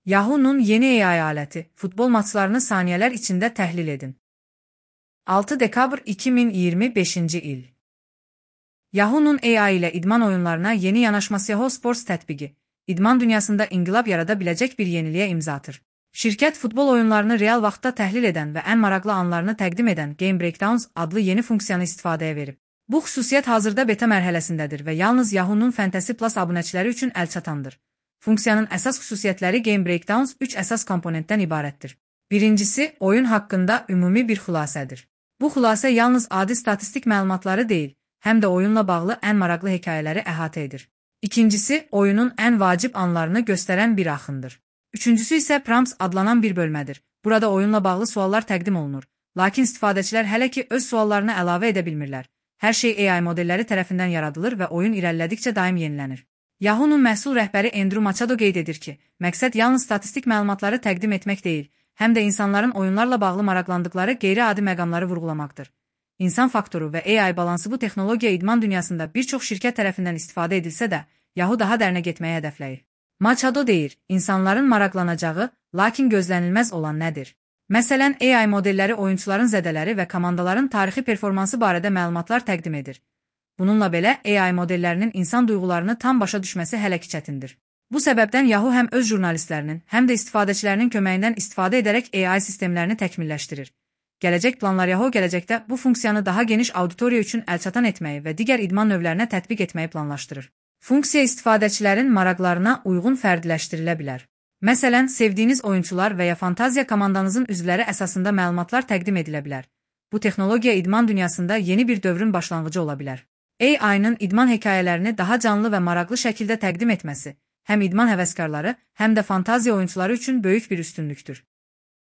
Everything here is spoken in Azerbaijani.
Yahoo'nun yeni AI aleti, futbol maçlarını saniyeler içinde təhlil edin. 6 dekabr 2025 il. Yahoo'nun AI ile idman oyunlarına yeni yanaşması Yahoo Sports tətbiqi, idman dünyasında inqilab yarada biləcək bir yeniliyə imza atır. Şirkət futbol oyunlarını real vaxtda təhlil edən və ən maraqlı anlarını təqdim edən Game Breakdowns adlı yeni funksiyanı istifadəyə verib. Bu xüsusiyyət hazırda beta mərhələsindədir və yalnız Yahoo'nun Fantasy Plus abunəçiləri üçün əlçatandır. Funksiyanın əsas xüsusiyyətləri Game Breakdowns 3 əsas komponentdən ibarətdir. Birincisi, oyun haqqında ümumi bir xülasədir. Bu xülasə yalnız adi statistik məlumatları deyil, həm də oyunla bağlı ən maraqlı hekayələri əhatə edir. İkincisi, oyunun ən vacib anlarını göstərən bir axındır. Üçüncüsü isə prompts adlanan bir bölmədir. Burada oyunla bağlı suallar təqdim olunur. Lakin istifadəçilər hələ ki öz suallarını əlavə edə bilmirlər. Hər şey AI modelləri tərəfindən yaradılır və oyun irəlilədikcə daim yenilənir. Yahoo'nun məhsul rəhbəri Andrew Machado qeyd edir ki, məqsəd yalnız statistik məlumatları təqdim etmək deyil, həm də insanların oyunlarla bağlı maraqlandıqları qeyri-adi məqamları vurğulamaqdır. İnsan faktoru və AI balansı bu texnologiya idman dünyasında bir çox şirkət tərəfindən istifadə edilsə də, Yahoo daha dərinə getməyi hədəfləyir. Machado deyir, insanların maraqlanacağı, lakin gözlənilməz olan nədir? Məsələn, AI modelləri oyunçuların zədələri və komandaların tarixi performansı barədə məlumatlar təqdim edir. Bununla belə, AI modellərinin insan duyğularını tam başa düşməsi hələ ki çətindir. Bu səbəbdən Yahoo həm öz jurnalistlərinin, həm də istifadəçilərinin köməyindən istifadə edərək AI sistemlərini təkmilləşdirir. Gələcək planlar Yahoo gələcəkdə bu funksiyanı daha geniş auditoriya üçün əlçatan etməyi və digər idman növlərinə tətbiq etməyi planlaşdırır. Funksiya istifadəçilərin maraqlarına uyğun fərdiləşdirilə bilər. Məsələn, sevdiyiniz oyunçular və ya fantaziya komandanızın üzvləri əsasında məlumatlar təqdim edilə bilər. Bu texnologiya idman dünyasında yeni bir dövrün başlanğıcı ola bilər. AI-nın idman hekayələrini daha canlı və maraqlı şəkildə təqdim etməsi həm idman həvəskarları, həm də fantaziya oyunçuları üçün böyük bir üstünlükdür.